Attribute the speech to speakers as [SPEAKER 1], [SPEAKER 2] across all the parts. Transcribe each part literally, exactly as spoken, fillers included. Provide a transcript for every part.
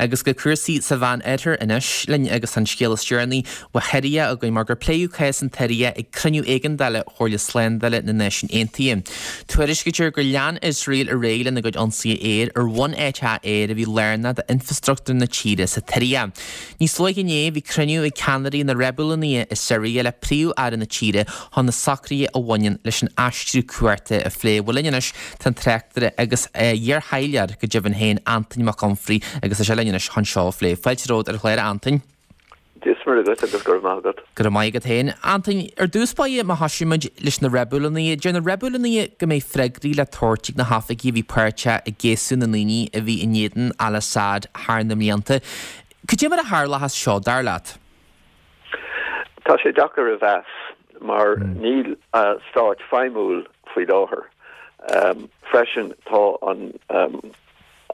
[SPEAKER 1] Agus go cúrsaí sa Mheán Oirthear anois linn agus an scéal is deireanaí ó Shiria againn mar gur pléadh cás an tSiria ag cruinniú éigeandála Chomhairle Slándála na Náisiún Aontaithe. Tuairiscítear gur lean Iosrael ar aghaidh lena gcuid ionsaithe aeir ar bhun-eiteach aeir a bhí lárnach d'infrastruchtúr na tíre sa tSiria. Níos luaithe inné bhí cruinniú ag ceannairí na reibiliúnaithe i Siria le príomh-aire na tíre chun na socruithe a bhaineann leis an aistriú cumhachta a phlé. Bhuel linn anois tá an tráchtaire agus iar-thaidhleoir go deimhin féin Antain Mac Unfraidh agus tá sé linn anois chun seo a phlé. Fáilte romhat ar an chlár Antain.
[SPEAKER 2] Dia is Muire duit agus go raibh maith agat.
[SPEAKER 1] Go raibh maith agat féin. Antain, ar dtús báire má thosaímid leis na reibiliúnaithe, deir na reibiliúnaithe go mbeidh freagraí le tabhairt ag na hoifigigh a bhí páirteach i gcéasadh na ndaoine a bhí in éadan al-Assad thar na mblianta. Cad é mar a tharlóchas seo, dar leat?
[SPEAKER 2] Tá sé deacair a mheas mar níl stát feidhmiúil faoi láthair. Freisin tá an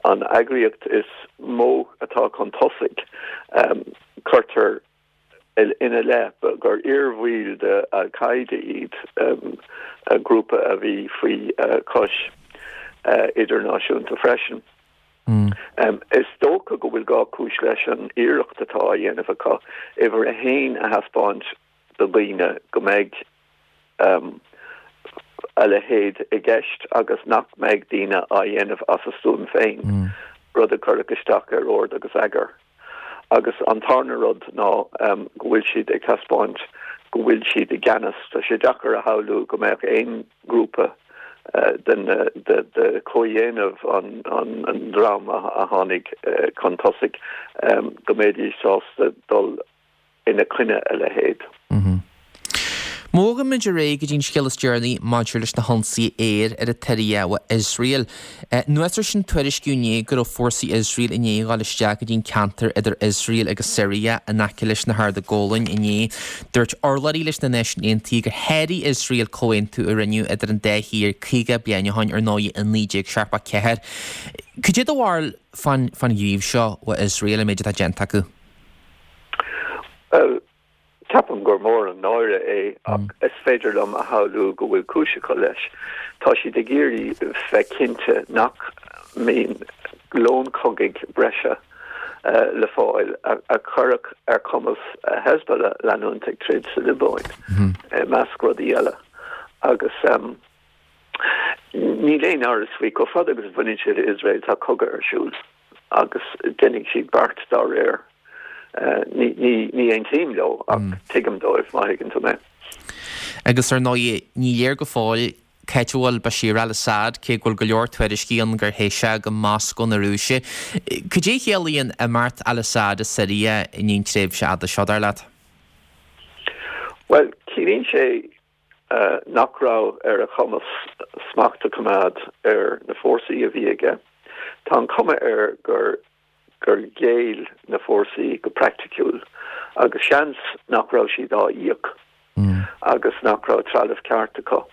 [SPEAKER 2] an eagraíocht is mó atá chun tosaigh, cuirtear ina leith gur iarbhaill de Al-Qaeda iad, grúpa a bhí faoi chois idirnáisiúnta freisin. Is dócha go bhfuil dhá chúis leis an iarracht atá á dhéanamh acu, uimhir a haon a thaispeáint do dhaoine go mbeidh a leithéid i gceist agus nach mbeidh daoine á dhéanamh as a stuaim féin, rud a chuirfeadh isteach ar ord agus eagar. Agus an tarna rud ná go bhfuil siad ag taispeáint go bhfuil siad i gceannas. Tá sé deacair a shamhlú go mbeadh aon ghrúpa den de chomhdhéanamh an dream a tháinig chun tosaigh go mbeidís sásta dul ina choinne a leithéid.
[SPEAKER 1] Má bhogaimid ar aghaidh go dtí an scéal is deireanaí maidir leis na hionsaithe aeir ar an tSiria ó Iosrael. Anuas air sin tuairiscíodh inné go raibh fórsaí Iosrael i ndiaidh dhul isteach go dtí an ceantar idir Iosrael agus Siria in aice leis na hArda Gólain inné. Dúirt urlabhraí leis na Náisiúin Aontaithe gur sháraigh Iosrael comhaontú a rinneadh idir an dá thír caoga bliain ó shin, ar ndóigh, i naoi déag seachtó ceathair. Cad é do bharúil fán ghníomh seo ó Iosrael, an méid atá déanta acu?
[SPEAKER 2] Bhuel, ceapaim gur mór an náire é ach is féidir liom a shamhlú go bhfuil cúis acu leis. Tá siad ag iarraidh bheith cinnte nach mbíonn lón cogaidh breise le fáil a chuirfeadh ar chumas Hezbollah leanúint ag troid sa Liobáin, i measc rudaí eile. Agus níl aon amhras faoi, chomh fada agus a bhaineann sé le Iosrael, tá cogadh ar siúl agus déanfaidh siad beart dá réir. Ní aontaím leo ach tuigim dóibh, má thuigeann tú mé.
[SPEAKER 1] Agus ar ndóigh, ní léir go fóill cá háit a bhfuil Bashir al-Assad, cé go bhfuil go leor tuairiscí ann gur theith sé go Moscó na Rúise. Cad é a chiallaíonn imeacht al-Assad i Siria i ndiaidh an tréimhse fhada seo, dar leat?
[SPEAKER 2] Bhuel, ciallaíonn sé nach raibh ar a chumas smacht a choimeád ar na fórsaí a bhí aige. Tá an chuma air gur gur ghéill na fórsaí go praiticiúil agus seans nach raibh siad á íoc agus nach raibh trealamh ceart acu,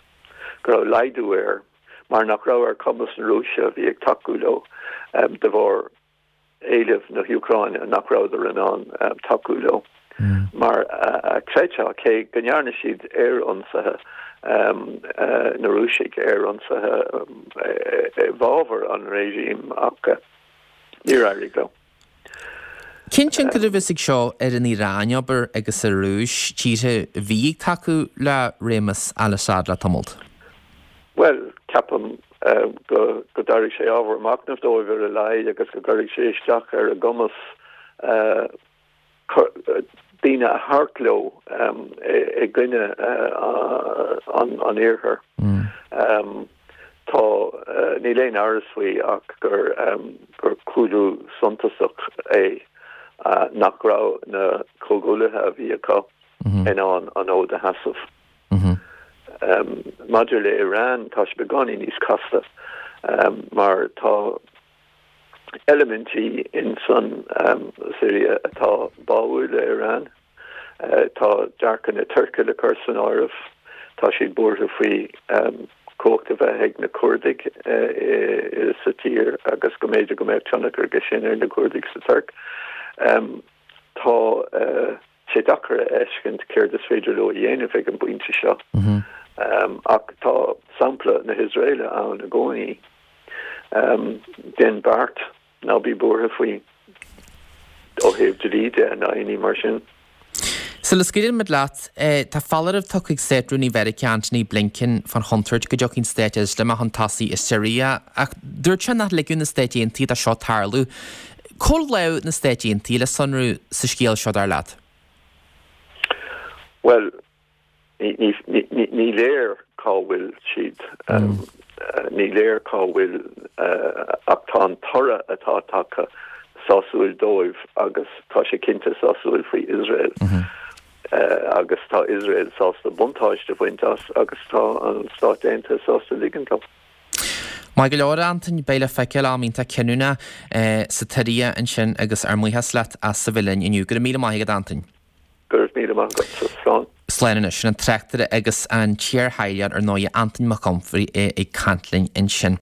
[SPEAKER 2] go raibh laghdú air mar nach raibh ar chumas na Rúise a bhí ag tacú leo de bharr éileamh na hÚcráine nach rabhadar in ann tacú leo mar a chreidfeá, cé go ndearna siad aerionsaithe, na Rúisigh, aerionsaithe i bhfabhar an réigím ach. Níor éirigh leo.
[SPEAKER 1] Cén tionchar a bheas ag seo ar an Iaráin, abair, agus ar an Rúis, tíortha a bhí ag tacú le réimeas al-Assad le tamalt?
[SPEAKER 2] Bhuel, ceapaim go dtabharfaidh sé ábhar machnaimh dóibh ar a laghad agus go gcuirfidh sé isteach ar a gcumas daoine a thabhairt leo i gcoinne an Iarthair. Tá, níl aon amhras faoi ach gur gur cúlú suntasach é nach raibh na comhghuaillithe a bhí acu in ann an fód a sheasamh. Maidir le Iran, tá sé beagáinín níos casta mar tá eilimintí in san Siria atá báúil le Iran. Tá dearcadh na Tuirce le cur san áireamh. Tá siad buartha faoi chumhacht a bheith ag na Curdaigh sa tír agus go mb'fhéidir go mbeadh tionchar aige sin ar na Curdaigh sa Tuirc. Tá sé deacair a fheiscint céard is féidir leo a dhéanamh ag an bpointe seo. Ach tá sampla na hIosraeile ann i gcónaí. Déan beart, ná bí buartha faoi. thaobh dlí de ná aon ní mar sin.
[SPEAKER 1] Sula scaoileann muid leat, tá foláireamh tugtha ag Státrúnaí Mheiriceá Antony Blinken fán chontúirt go dtiocfaidh an Stát Ioslamach chun tosaigh i Siria, ach dúirt sé nach ligfeadh na Stáit Aontaithe dó seo tarlú. Cá bhfuil lámh na Stáit Aontaithe le sonrú sa scéal seo dar leat?
[SPEAKER 2] Bhuel, ní léir cá bhfuil siad. Ní léir cá bhfuil ach tá an toradh atá tagtha sásúil dóibh agus tá sé cinnte sásúil faoi Iosrael. Agus tá Iosrael sásta buntáiste a bhaint as agus tá an Stáit Aontaithe sásta ligint dó.
[SPEAKER 1] Maith go leor, a Antain, beidh le feiceáil am iontach cinniúnach sa tSiria ansin agus ár mbuíochas leat as a bheith linn inniu. Go raibh míle maith agat, a Antain.
[SPEAKER 2] Go raibh míle maith agatsa. Slán.
[SPEAKER 1] Slán anois. Sin an tráchtaire agus an t-iarthaidhleoir ar ndóigh, Antain Mac Unfraidh ag caint linn ansin.